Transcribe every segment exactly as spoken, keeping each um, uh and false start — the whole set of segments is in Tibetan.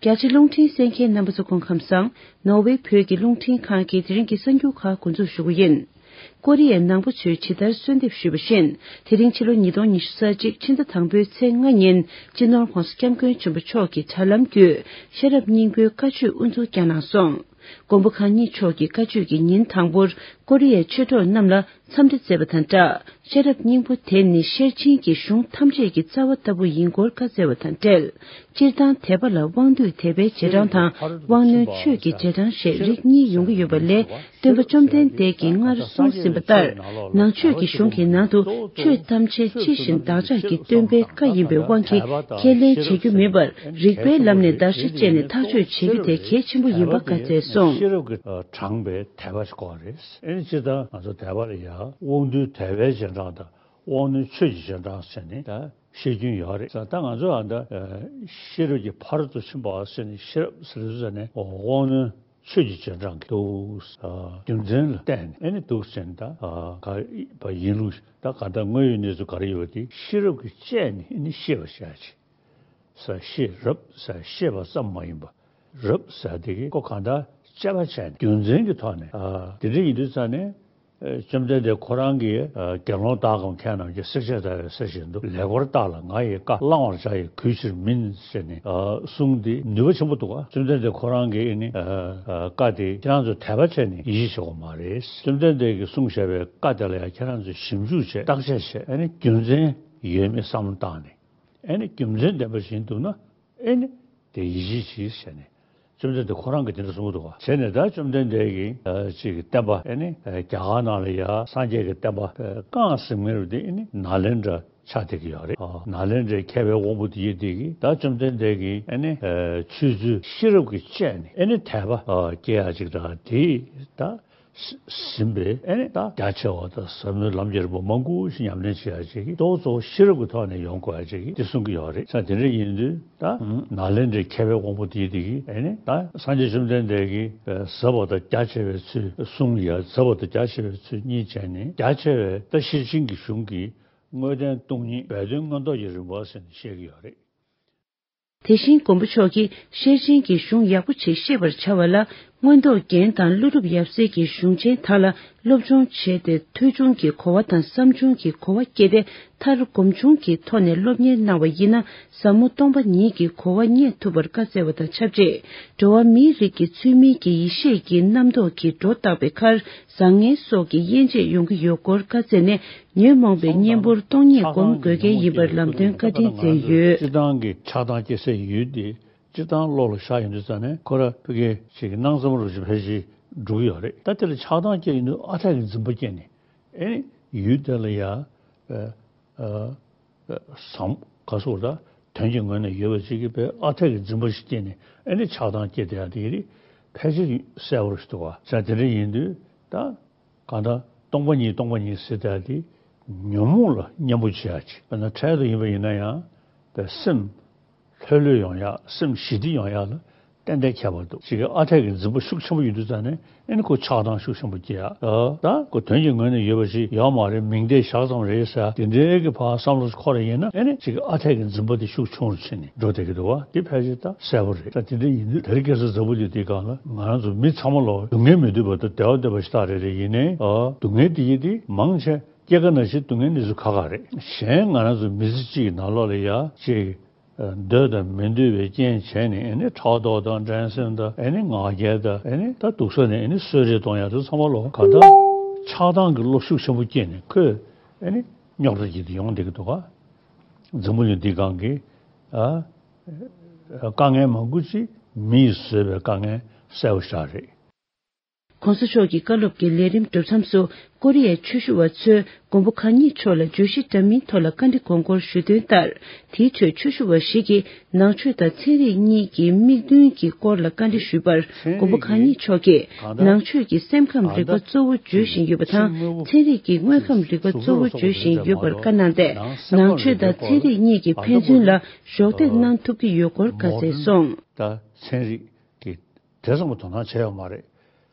རྒྱ་ཆེ་རླུང་འཕྲིན་གསན་མཁན་རྣམ་པ་ཚོ་སྐུ་ཁམས་བཟང་། ནོར་ཝེ་བོད་ཀྱི་རླུང་འཕྲིན་ཁང་གི་དེ་རིང་གི་གསར་འགྱུར་ཁག་འགོ་འཛུགས་ཞུ་གི་ཡིན། ཀོ་རི་ཡའི་ནང་པ་ཚོས་ཇི་ལྟར་གསོལ་འདེབས་ཞུས་པ་བཞིན། དེ་རིང་ཕྱི་ལོ་ཉིས་སྟོང་ཉི་ཤུ་རྩ་གཅིག་ཕྱི་ཟླ་དང་པོའི་ཚེས་ལྔ་ཉིན་སྤྱི་ནོར་༧གོང་ས་༧སྐྱབས་མགོན་ཆེན་པོ་མཆོག་གིས་དྲ་ལམ་བརྒྱུད་ཤེས་རབ་སྙིང་པོའི་བཀའ་ཆོས་དབུ་འཛུགས་བསྐྱངས་གནང་སོང་། མགོན་པོ་གང་ཉིད་མཆོག་གི་བཀའ་ཆོས་ཀྱི་ཉིན་དང་པོར་ཀོ་རི་ཡའི་ཆོས་གྲོགས་རྣམས་ལ་འཚམས་འདྲི་མཛད་པ་དང་སྦྲགས། ཤེས་རབ་སྙིང་པོ་དེ་ནི་ཤེར་ཕྱིན་གྱི་གཞུང་ཐམས་ཅད་ཀྱི་རྩ་བ་ལྟ་བུ་ཡིན་སྐོར་བཀའ་སྩལ་བ་དང་འབྲེལ། སྤྱིར་བཏང་དད་པ་ལ་དབང་སྡུད་དད་པའི་རྗེས་འབྲང་དང་། དབང་རྣོན་ཆོས་ཀྱི་རྗེས་འབྲང་ཞེས་རིགས་གཉིས་ཡོང་གི་ཡོད་པ་ལས། སྟོན་པ་བཅོམ་ལྡན་འདས་ཀྱིས་སྔར་གསུངས་ཟིན་པ་ལྟར། ནང་ཆོས་ཀྱི་གཞུང་གི་ནང་དུ་ཆོས་ཐམས་ཅད་ཕྱི་བཞིན་བདག་ཅག་གི་སྟོན་པའི་བཀའ་ཡིན་པའི་དབང་གིས་ཁས་ལེན་བྱེད་རྒྱུ་མིན་པར། རིགས་པའི་ལམ་ནས་བརྡར་ཤ་བཅད་ནས་ཐག་གཅོད་བྱེད་རྒྱུ་དེ་གལ་ཆེན་པོ་ཡིན་པ་བཀའ་སྩལ་སོང་། ཤེས་རབ་ཀྱི་དྲངས་པའི་དད་པ་ཞིག་དགོས་པ་རེད། ཨེ་ནི་སྤྱིར་བཏང་ང་ཚོ་དད་པ་ལ་ཡ་དབང་རྣོན་དད་པའི་རྗེས་འབྲང་དང་། དབང་རྣོན་ཆོས་ཀྱི་རྗེས་འབྲང་ཟེར་ནས་ད་བཤད་རྒྱུན་ཡོད་རེད། ད་ང་ཚོ་ཨ་ད་ཤེས་རབ་ཀྱི་ཕ་རོལ་ཏུ་ཕྱིན་པ་ཟེར་ནས་ཤེས་རབ་ཟེར་དུས་ཙ་ནས་དབང་རྣོན་ཆོས་ཀྱི་རྗེས་འབྲང་གི་འདུག་རྒྱུ་མཚན་ལ་བརྟེན་ནས་ཨེ་ནི་འདུག་ཟེར་ནས་ད་ག་ཡིན་ལུགས་ད་ག་ད་དངོས་ཡོད་གནས་ཚུལ་ག་རེ་ཡོད་དེ་ཤེས་རབ་ཀྱིས་དཔྱད་ནས་ཨེ་ནི་ཤེས་པར་བྱ་ཞིང་། ཟེར་ཤེས་རབ་ཟེར་ཤེས་པ་ཙམ་མ་ཡིན་པ། རབ་ཟེར་དེ་གི་ཁོ་གང་ལྟར་དཔྱད་པ་བྱས་ནས་རྒྱུ་མཚན་གྱི་ཐོག་ནས་ཨ་དེ་འདྲ་ཡིན་དུས་ཙ་ནས་ཨ་བཅོམ་ལྡན་འདས་ཁོ་རང་གིས་ཨ་དགེ་སློང་དག་གམ་མཁས་རྣམས་ཀྱིས་བསྲེགས་བཅད་བརྡར་བའི་གསེར་བཞིན་དུ་ལེགས་པར་བརྟགས་ལ་ང་ཡི་བཀའ་བླང་བར་བྱ་ཡི་གུས་ཕྱིར་མིན་ཟེར་ནས་ཨ་གསུངས་ཏེ་ནུས་པ་ཆེན་པོ་འདུག་ག་བཅོམ་ལྡན་འདས་ཁོ་རང་གིས་ཨ་ནི་ཨ་བཀའ་དེ་ཁྱེད་རང་ཚོ་དད་པ་བྱས་ནས་ཡིད་ཆེས་བྱེད་དགོས་མ་རེད། བཅོམ་ལྡན་འདས་ཀྱིས་གསུངས་བཞག་པའི་བཀའ་དེ་ལ་ཡང་ཁྱེད་རང་ཚོས་ཞིབ་འཇུག་བྱས་བརྟག་དཔྱད་བྱས་ཨ་ནི་རྒྱུ་མཚན་ཡོད་མེད་བསམ་བློ་བཏང་ནས། ཨེ་ནི་རྒྱུ་མཚན་ལྡན་པ་ཞིག་འདུག་ན་ཨེ་ནི་དེ་ཡིད་ཆེས་གྱིས་བྱས་ནས་བཅོམ་ལྡན་འདས་ཁོ་རང་གིས་དེ་འདྲ་གསུངས་འདུག་བ། བྱས་ནས་ད་བཅོམ་ལྡན་འདས་ཀྱིས་ཨ་ཅིག་གི་བསྟན་པ་ཨེ་ནི་ཨ་རྒྱ་གར་ནང་ལ་ཡ་སངས་རྒྱས་ཀྱི་བསྟན་པ་ཨ་བསྐངས་ཟིན་མཁན་རུ་དེ་ཨེ་ནི་ནཱ་ལེནྡྲ་ཆགས་བསྡད་ཀྱི་ཡོད་རེད། ཨ་ནཱ་ལེནྡྲའི་མཁས་པའི་དབང་པོ་དེ་ཡིན་དེ་གིས་ད་བཅོམ་ལྡན་འདས་ཀྱིས་ཨེ་ནི་ཨ་ཆོས་ཚུལ་ཤེས་རབ་ཀྱིས་དཔྱད་ནས་ཨེ་ནི་དད་པ་ཨ་སྐྱེ་ཡ་ཅིག་དང་དེ་ད། ཟིན་པས་ཨེ་ནི་ད་རྒྱ་ཆེ་བ་དང་ཟབ་མོའི་ལམ་གྱི་རིམ་པ་མང་པོ་ཞིག་ཉམས་ལེན་བྱེད་ཡ་ཅིག་གིས་གཙོ་བོ་གཙོ་བོ་ཤེས་རབ་ཀྱི་ཐོག་ནས་ཡོང་དགོས་ཡ་ཅིག་གིས་འདི་གསུང་གི་ཡོད་རེད། ས་དེ་འདྲ་ཡིན་དུས་ད་ནཱ་ལེནྡྲའི་མཁས་པའི་དབང་པོ་དེ་དེ་གིས་ཨེ་ནི་ད་སངས་རྒྱས་བཅོམ་ལྡན་འདས་ཀྱིས་ཟབ་པ་དང་རྒྱ་ཆེ་བའི་ཚུལ་གསུང་ཡ་ཟབ་པ་དང་རྒྱ་ཆེ་བའི་ཚུལ་གཉིས་བྱས་ནས་རྒྱ་ཆེ་བའི་ད་ཤེར་ཕྱིན་གྱི་གཞུང་གི་དངོས་བསྟན་སྟོང་ཉིད་སྦས་དོན་མངོན་རྟོགས་ཀྱི་རིམ་པ་ཟེར་ནས་བཤད་ཀྱི་ཡོད་རེད། དེ་བཞིན་མགོན་པོ་མཆོག་གིས་ཤེར་ཕྱིན་གྱི་གཞུང་ཡག་པོ་ཞིག་ཤེས་པར་བྱ་བ་ལ་མངོན་རྟོགས་རྒྱན་དང་ཀླུ་སྒྲུབ་ཡབ་སྲས་ཀྱི་གཞུང་ཆེན་དག་ལ་སློབ་སྦྱོང་བྱས་ཏེ་ཐོས་བྱུང་གི་གོ་བ་དང་བསམ་བྱུང་གི་གོ་བ་སྐྱེས་ཏེ་མཐར་སྒོམ་བྱུང་གི་ཐོག་ནས་སློབ་གཉེར་གནང་བ་ཡིན་ན་ཟབ་མོ་སྟོང་པ་ཉིད་ཀྱི་གོ་བ་རྙེད་ཐུབ་པར་བཀའ་སྩལ་བ་དང་ཆབས་ཅིག་འགྲོ་བ་མིའི་རིགས་ཀྱི་ཚུལ་མིན་གྱི་ཡེ་ཤེས་ཀྱི་རྣམ་རྟོག་གིས་སྒྲོ་བཏགས་པའི་ཁར་བཟང་ངན་སོགས་ཀྱི་དབྱེ་འབྱེད་ཡོང་གི་ཡོད་སྐོར་བཀའ་སྩལ་ནས། ཉོན་མོངས་པའི་གཉེན་པོར་སྟོང་ཉིད་སྒོམ་དགོས་གལ་ཡིན་པར་ལམ་སྟོན་བཀའ་དྲིན་སྩལ་ཡོད། སྤྱིར་བཏང་གི་ཆགས་སྡང་སྐྱེ་སའི་ཡུལ་དེ་སྤྱིར་བཏང་བློ་ལ་བཞག་ཡོང་དུས་ཙང་ནས་ཁོ་ར་ཕ་གི་ཞིག་གི་སྣང་བསམ་རུ་ཞིག་ཕལ་ཆེར་འགྲོ་གི་ཡོད་རེད། ད་དེ་ལ་ཆགས་སྡང་སྐྱེ་ཡོང་དུས་ཨ་འཐས་ཀྱི་འཛིན་པ་སྐྱེས་ནས་ཨེ་ནི་ཡུལ་དེ་ལ་ཡ་ཨ་ཨ་བཟང་ག་སོགས་ད་དོན་གྱི་ངོས་ནས་ཡོད་པ་ཅིག་གི་བའི་ཨ་འཐས་ཀྱི་འཛིན་པ་ཞིག་སྐྱེས་ནས་ཨེ་ནི་ཆགས་སྡང་སྐྱེ་བསྡད་ཡ་དེ་རིགས་ཕལ་ཆེར་གསལ་པོ་རེད་འདུག་བ། ཟེར་དེ་འདྲ་ཡིན་དུས་ད། གང་ལྟར་སྟོང་པ་ཉིད་སྟོང་པ་ཉིད་ཟེར་ཡ་དེ་ཉོན་མོངས་ལ་གཉེན་པོ་བྱེད་ཡ་ཅིག་དཔེར་ན་འཕྲལ་དུ་ཡིན་པ་ཡིན་ན་ཡང་པའི་སེམས་ལྷོད་ལྷོད་ཡོང་ཡ་སེམས་ཞི་བདེ་ཡོང་ཡ་ལ་ཏན་ཏན་ཁྱད་པར་འདུག་ཅིག་གི་ཨ་འཐས་ཀྱི་འཛིན་པ་ཤུགས་ཆེན་པོ་ཡོད་དུས་ཙང་ནས་ཨེ་ནི་ཁོ་ཆགས་སྡང་ཤུགས་ཆེན་པོ་སྐྱེ་ཡ་ད་ཁོ་དོན་གྱི་ངོས་ནས་ཡོད་པ་ཞིག་ཡོད་མ་རེད། མིང་བརྡས་བཞག་ཙམ་རེད་ཟེར་དེ་འདྲའི་གི་ཕར་བསམ་བློ་འཁོར་ཡིན་ན་ཨེ་ནི་ཅིག་གི་ཨ་འཐས་ཀྱི་འཛིན་པ་དེ་ཤུགས་ཆུང་རུ་ཕྱིན་ནས་འགྲོ་བསྡད་ཀྱི་འདུག་བ། དེ་ཕལ་ཆེར་ད་གསལ་པོ་རེད། ད་དེ་འདྲ་ཡིན་དུས་དེ་རིང་ཁ་སང་འཛམ་བུ་གླིང་འདིའི་སྒང་ལ་ང་རང་ཚོ་མི་ཚང་མ་ལོ་སྡུག་བསྔལ་མི་འདོད་པ་དང་བདེ་བ་འདོད་པ་ཞིག་ཏག་རེད་རེད། ཡིན་ནའི་ཨ་སྡུག་བསྔལ་དེ་ཡིན་དེ་མང་ཆེ་སྐྱེ་རྒ་ན་འཆིའི་སྡུག་བསྔལ་འདི་ཚོ་ཁག་ཁག་རེད། གཞན་ང་རང་ཚོ་མི་ཚེ་གཅིག་གི་ནང་ལོགས་ལ་ཡ་ཅིག་འདོད་དང་མི་འདོད་པའི་རྐྱེན་བྱས་ནས་ཨེ་ནི་ཕྲག་དོག་དང་འགྲན་སེམས་དང་ཨེ་ནི་ང་རྒྱལ་དང་ཨེ་ནི་ད་སྡུག་ས་ནས་ཨེ་ནི་གསོད་རེས་གཏོང་ཡ་དེ་ཚང་མ་ལོ་ག་ད་ཆགས་སྡང་གི་བློ་ཤུགས་ཆེན་པོ་སྐྱེས་ནས་ཁོས་ཨེ་ནི་རྙོག་དྲ་ཅིག་ཏུ་ཡོང་བསྡད་ཀྱི་འདུག་ག་འཛམ་བུ་གླིང་འདིའི་སྒང་གི་ཨ་དཀའ་ངལ་མང་པོ་ཅིག་མི་ཡིས་བཟོས་པའི་དཀའ་ངལ་གསལ་པོ་ཞིག་རེད། ༸གོང་ས་མཆོག་གི་བཀའ་སློབ་ཀྱི་ལས་རིམ་གྲུབ་མཚམས་སུ་ཀོ་རི་ཡའི་ཆོས་ཞུ་བ་ཚོས་མགོན་པོ་གང་ཉིད་མཆོག་ལ་བརྗོད་གཞི་འདྲ་མིན་ཐོག་ལ་བཀའ་འདྲི་དགོངས་སྐོར་ཞུས་དོན་ལྟར། དེའི་ཁྲོད་ཆོས་ཞུ་བ་ཞིག་གིས་ནང་ཆོས་དང་ཚན་རིག་གཉིས་ཀྱི་དམིགས་འདུན་གྱི་སྐོར་ལ་བཀའ་འདྲི་ཞུས་པར། མགོན་པོ་གང་ཉིད་མཆོག་གིས་ནང་ཆོས་ཀྱིས་སེམས་ཁམས་རིག་པ་གཙོ་བོ་བརྗོད་བཞིན་ཡོད་པ་དང་། ཚན་རིག་གིས་དངོས་ཁམས་རིག་པ་གཙོ་བོར་བརྗོད་བཞིན་ཡོད་པར་བཀའ་གནང་སྟེ། ནང་ཆོས་དང་ཚན་རིག་གཉིས་ཀྱི་ཕན་ཚུན་ལ་གཞོགས་འདེགས་གནང་ཐུབ་ཀྱི་ཡོད་སྐོར་བཀའ་སྩལ་སོང་། ད་ཚན་རིག་གི་དེ་ཙམ་གྱི་དོ་སྣང་བྱས་ཡོད་མ་རེད།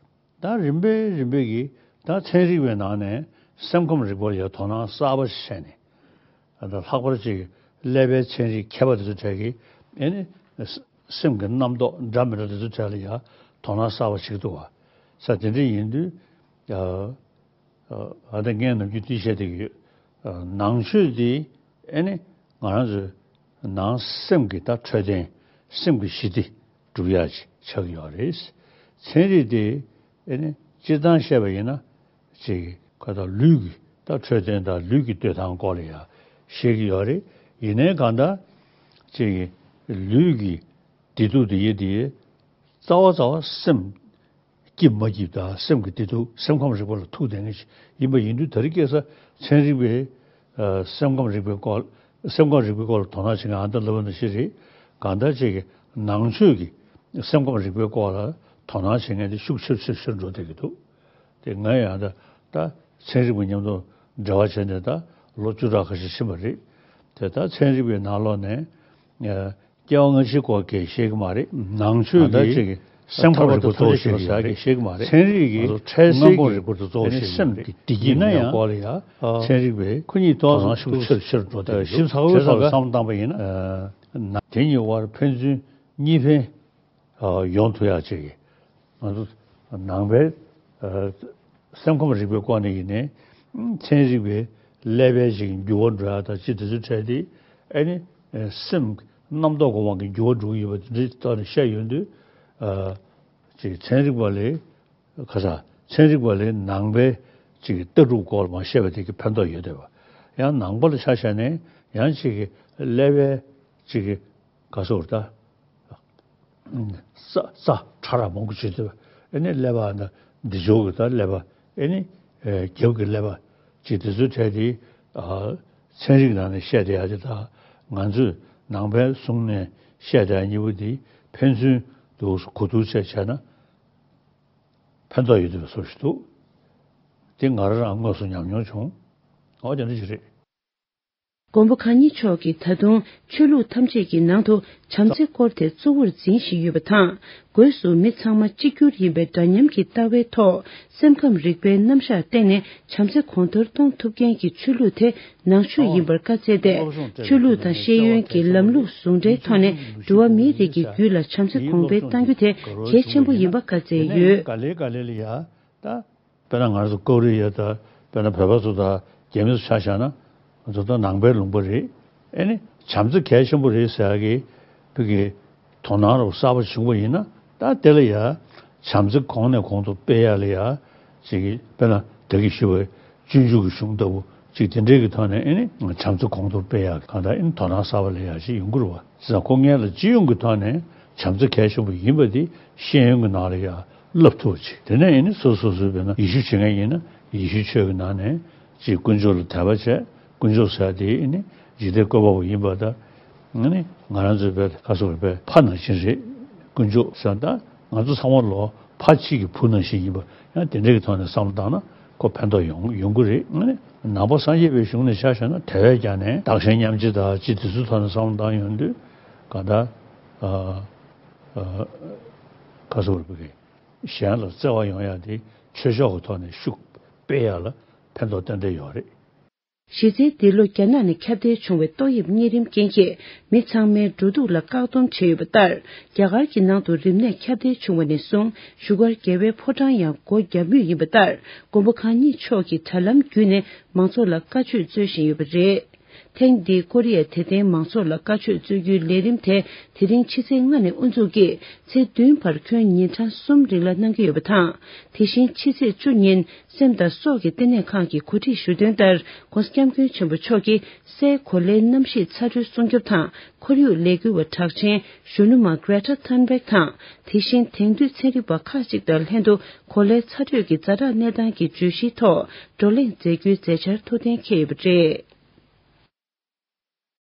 ད་རིམ་པས་རིམ་པས་ཀྱིས་ད་ཚན་རིག་པའི་ནང་ནས་སེམས་ཁམས་རིག་པ་ལ་ཡང་དོ་སྣང་གསར་པ་ཞིག་བྱས་ནས། ད་ལྷག་པར་ཅིག་ཀླད་པའི་ཚན་རིག་མཁས་པ་དེ་ཚོ་གྲས་ཀྱིས་ཨེ་ནི་ སེམས་ཀྱི་རྣམ་རྟོག་འདྲ་མི་འདྲ་དེ་ཚོ་གྲས་ལ་ཡང་དོ་སྣང་གསར་པ་བྱེད་ཀྱི་འདུག་བ། ས་དེ་འདྲ་ཡིན་དུས། ཨ་ད་ངས་ནམ་རྒྱུན་དེ་བཤད་བསྡད་ཀྱི་ཡོད། ནང་ཆོས་དེ་ཨེ་ནི་ང་རང་ཚོའི་ནང་སེམས་ཀྱི་ད་འཕྲོད་བསྟེན། སེམས་ཀྱི་ཞི་བདེ་སྒྲུབ་ཡག་ཅིག་ཆགས་ཀྱི་ཡོད་རེད། ཚན་རིག་དེ་ཨེ་ནི་སྤྱིར་བཏང་བཤད་པ་ཡིན་ན། ཅིག་ཁ་ད་ལུས་ཀྱི་ད་འཕྲོད་བསྟེན་དང་ལུས་ཀྱི་སྡོད་སྟངས་སྐོར་ལ་ཡང་བཤད་ཀྱི་ཡོད་རེད། ཡིན་ནའི་གང་ལྟར་ཅིག་ལུས་ཀྱི་བདེ་སྡུག་དེ་ཡི་དེ་རྩ་བ་རྩ་བ་སེམས་སྐྱིད་མ་སྐྱིད་དང་སེམས་ཀྱི་བདེ་སྡུག་སེམས་ཁམས་རིག་པ་ལ་ཐུག་བསྡད་མཁན་ཞིག་ཡིན་པ་ཡིན་དུས། ད་རེས་ཁ་སང་ཚན་རིག་པས་ཨ་སེམས་ཁམས་རིག་པའི་སྐོར། སེམས་ཁམས་རིག་པའི་སྐོར་ལ་དོ་སྣང་བྱེད་མཁན་ཨ་ད་ལབ་པ་ནང་བཞིན་རེད། གང་ལྟར་ཅིག་གི་ནང་ཆོས་ཀྱི་སེམས་ཁམས་རིག་པའི་སྐོར་ལ་དོ་སྣང་བྱེད་མཁན་དེ་ཤུགས་ཆེར་ཆེར་ཆེར་འགྲོ་བསྡད་ཀྱི་འདུག་དེ་ང་ཡང་ད་ད་ཚན་རིག་པ་མཉམ་དུ་འབྲེལ་བ་བྱས་ནས་ད་ལོ་བཅུ་ཕྲག་ཁ་ཤས་ཕྱིན་པ་རེད། དེ་ད་ཚན་རིག་པའི་ནང་ལོགས་ནས་ཨ་སྐྱེ་བ་སྔ་ཕྱིའི་སྐོར་གྱི་བཤད་ཀྱི་མ་རེད། ནང་ཆོས་ད་ཀྱི་ཅིག་གི་སེམས་ཁམས་རིག་པ་གཙོ་བོ་བཤད་ཀྱི་ཡོད་རེད། བཤད་ཀྱི་མ་རེད། ཚན་རིག་གི་ང་ཚོ་འཕྲལ་སེལ་སྔོན་འགོག་གྱི་རིག་པ་དེ་གཙོ་བོ་ཨ་ནི་བཤད་ཀྱི་སེམས་མ་རེད། ཀྱི་བདེ་སྐྱིད་ཡིན་ན་མེད་ཡང་སྐོར་ལ་ཡང་ཨ་ཚན་རིག་པས་ཁོ་གཉིས་དོ་སྣང་ཤུགས་ཆེར་ཆེར་འགྲོ་བསྡད་ཀྱི་འདུག་ཞིབ་ཚགས་པོའི་བྱས་ཙང་ཐོག་བསམ་བློ་བཏང་པ་ཡིན་ན། ཨ་དེ་གཉིས་དབར་ཕན་ཚུན་གཉིས་ཕན་ཨ་ཡོང་ཐུབ་ཡག་ཅིག་གི་ང་ཚོ་ནང་པའི་ཨ་སེམས་ཁམས་རིག་པའི་སྐོར་ནས་ཡིན་ནའི་ཚན་རིག་པའི་ཀླད་པའི་ཅིག་འགྱུར་བ་འགྲོ་ཡག་དང་ཅིག་དེ་ཚོའི་གྲས་དེ་ཨ་ནི་ཨ་སེམས་རྣམ་རྟོག་གི་དབང་གིས་འགྱུར་བ་འགྲོ་གི་ཡོད་པ་དེ་འདྲའི་ཐོག་ནས་བཤད་ཡོང་དུས། ཨ་ཅིག་ཚན་རིག་པ་ལས་ཁ་ས་ཚན་རིག་པ་ལས་ནང་པའི་ཅིག་ལྟ་གྲུབ་སྐོར་ལ་མར་བཤད་པ་དེ་གི་ཕན་ཐོགས་ཡོད་བསྡད་པ། ཡང་ནང་པ་ལ་ཆ་བཞག་ནས་ཡང་ཅིག་གི་ཀླད་པའི་ཅིག་གི་ག་སོགས་ད། རྩ་རྩ་ཕྲ་རགས་མང་པོ་བྱེད་ཐུབ། ཨ་ནི་ཀླད་པ་ན་འདི་ཕྱོགས་ཀྱི་ད་ཀླད་པ། ཨ་ནི་ཨེ་རྒྱབ་ཀྱི་ཀླད་པ། ཅིག་དེ་ཚོའི་གྲས་དེ་ཨ་ཚན་རིག་ནང་ནས་བཤད་བསྡད་ཡག་དེ་དང་ང་ཚོས་ནང་པའི་གསུང་ནས་བཤད་བསྡད་ཡག་གཉིས་པོ་དེ་ཕན་ཚུན་དུ་གོ་བསྡུར་བྱས་བྱས་ན་ཕན་ཐོགས་ཡོད་བསྡད་པའི་བཟོ་ཞིག་འདུག་དེ་ང་རང་རང་དངོས་སུ་ཉམས་མྱོང་བྱུང་། འོ་དེ་འདྲ་ཞིག་རེད། མགོན་པོ་གང་ཉིད་མཆོག་གིས་ད་དུང་ཆོས་ལུགས་ཐམས་ཅད་ཀྱི་ནང་དུ་བྱམས་བརྩེ་སྐོར་དེ་གཙོ་བོར་འཛིན་བཞིན་ཡོད་པ་དང་། སྒོས་སུ་མི་ཚང་མ་གཅིག་གྱུར་ཡིན་པའི་འདྲ་མཉམ་གྱི་ལྟ་བའི་ཐོག་སེམས་ཁམས་རིག་པའི་རྣམ་གཞག་བརྟེན་ནས་བྱམས་བརྩེ་གོང་མཐོར་གཏོང་ཐུབ་མཁན་གྱི་ཆོས་ལུགས་དེ་ནང་ཆོས་ཡིན་པར་བཀའ་སྩལ་ཏེ། ཆོས་ལུགས་དང་ཤེས་ཡོན་གྱི་ལམ་ལུགས་ཟུང་འབྲེལ་ཐོག་ནས་འགྲོ་བ་མིའི་རིགས་ཀྱི་རྒྱུད་ལ་བྱམས་བརྩེ་གོང་འཕེལ་གཏང་རྒྱུ་དེ་གལ་ཆེན་པོ་ཡིན་པ་བཀའ་སྩལ་ཡོད། ག་ལེ་ག་ལེ་ལ་ཡ་ད། དཔེར་ན་ང་ཚོ་ཀོ་རི་ཡ་དང་དཔེར་ན་བོད་པ་ཚོ་དང་རྒྱ་མི་ཚོ་ཆ་བཞག་ན། ང་ཚོ་ད་ནང་པའི་ལུང་པ་རེད། ཨེ་ནི་བྱམས་བརྩེ་གལ་ཆེན་པོ་རེད་ཟེར་ཡག་གི་བོད་ཀྱི་དོ་སྣང་རོགས་གསར་པ་བྱུང་བ་ཡིན་ན། ད་དེ་ལ་ཡ་བྱམས་བརྩེ་གོང་ནས་གོང་དུ་སྤེལ་ཡག་ལ་ཡ་ཅིག་དཔེར་ན་ད་གིན་ཞུས་པའི་སྤྱོད་འཇུག་གི་གཞུང་ལྟ་བུ་ཅིག་དེ་འདྲའི་གི་ཐོག་ནས་ཨེ་ནི་བྱམས་བརྩེ་གོང་དུ་སྤེལ་ཡག་གང་ལྟར་ཨེ་ནི་དོ་སྣང་གསར་པ་སླེབས་ཡག་ཅིག་ཡོང་གི་རེད་བ། བྱས་ཙང་ཁོ་སྔོན་ལ་སྤྱི་ཡོངས་ཀྱི་ཐོག་ནས་བྱམས་བརྩེ་གལ་ཆེན་པོ་ཡིན་པ་དེ་ཤེས་ཡོན་གྱི་ནང་ལ་ཡང་བསླབ་ཐུབ་པ་ཅིག་དེ་ནས་ཡིན་ན་སོ་སོ་སོའི་དཔེར་ན་ཡེ་ཤུ་བྱེད་མཁན་ཡིན་ན་ཡེ་ཤུའི་ཆོས་ཀྱི་ནང་ནས་ཅིག་དཀོན་མཆོག་ལ་དད་པ་བྱས། དཀོན་མཆོག་ཟེར་དེ་ནི་འཇིག་རྟེན་བཀོད་པ་པོ་ཡིན་པ་དང་། ང་ནི་ང་རང་ཚོའི་དཔེ་ཁ་སོགས་པའི་ཕ་ནང་བཞིན་རེད། དཀོན་མཆོག་ཟེར་ད་ང་ཚོ་ཚང་མ་ལོ་ཕ་གཅིག་གི་བུ་ནང་བཞིན་ཡིན་པ། ཡང་དེ་འདྲའི་གི་ཐོག་ནས་བསམ་བློ་བཏང་ན་ཁོ་ཕན་ཐོགས་ཡོང་ཡོང་གི་རེད། ཨ་ནི་ནང་པ་སངས་རྒྱས་པའི་གཞུང་ནས་ཆ་བཞག་ན་དེ་བས་ཀྱང་ནས་བདག་གཞན་མཉམ་བརྗེ་དང་ཅི་དེ་ཚོའི་ཐོག་ནས་བསམ་བློ་བཏང་ཡོང་དུས་གང་ལྟར་ཨ་ཨ་ཁ་སོ་བར་བུ་གི་གཞན་ལ་བརྩེ་བ་ཡོང་ཡག་དེ་ཆོས་ཕྱོགས་ཀྱི་ཐོག་ནས་ཤུགས་སྤེལ་ཡག་ལ་ཕན་ཐོགས་ཏན་ཏན་ཡོད་རེད། གཞི་རྩའི་འདི་ལོ་རྒྱ་ནག་ནས་ཁྱབ་གདལ་བྱུང་བའི་ཏོག་དབྱིབས་གཉན་རིམས་རྐྱེན་གྱིས་མི་ཚང་མའི་འགྲོ་འདུག་ལ་བཀག་སྡོམ་བྱས་ཡོད་པ་ལྟར། རྒྱ་གར་གྱི་ནང་དུ་རིམས་ནད་ཁྱབ་གདལ་བྱུང་བ་ནས་བཟུང་བཞུགས་སྒར་རྒྱལ་བའི་ཕོ་བྲང་ཡང་སྒོ་བརྒྱབ་མུས་ཡིན་པ་ལྟར། མགོན་པོ་གང་ཉིད་མཆོག་གིས་དྲ་ལམ་བརྒྱུད་ནས་མང་ཚོགས་ལ་བཀའ་ཆོས་སྩོལ་བཞིན་ཡོད་པ་རེད། ཐེངས་འདིའི་ཀོ་རི་ཡ་དད་ལྡན་མང་ཚོགས་ལ་བཀའ་ཆོས་སྩོལ་རྒྱུའི་ལས་རིམ་དེ་དེ་རིང་ཕྱི་ཚེས་ལྔ་ནས་དབུ་འཛུགས་ཀྱིས་ཚེས་བདུན་བར་ཁྱོན་ཉིན་གྲངས་གསུམ་རིང་ལ་གནང་གི་ཡོད་པ་དང་། དེ་བཞིན་ཕྱི་ཚེས་བཅུ་ཉིན་སེམས་དང་སྲོག་གི་ལྟེ་གནས་ཁང་གིས་གོ་སྒྲིག་ཞུ་དོན་ལྟར། ྋགོང་ས་ྋསྐྱབས་མགོན་ཆེན་པོ་མཆོག་གིས་སའི་གོ་ལའི་གནམ་གཤིས་ཚ་དྲོད་སྲུང་སྐྱོབ་དང་ཁོར་ཡུག་ལས་འགུལ་བ་གྲགས་ཅན་གཞོན་ནུ་མ་Greta Thunberg དང་། དེ་བཞིན་དེང་དུས་ཚན་རིག་པ་ཁག་ཅིག་དང་ལྷན་དུ་གོ་ལའི་ཚ་དྲོད་ཀྱི་ཛ་དྲག་གནས་སྟངས་ཀྱི་བརྗོད་གཞིའི་ཐོག་བགྲོ་གླེང་མཛད་རྒྱུའི་མཛད་འཆར་ཐུགས་གཏན་འཁེལ་ཡོད་པ་རེད།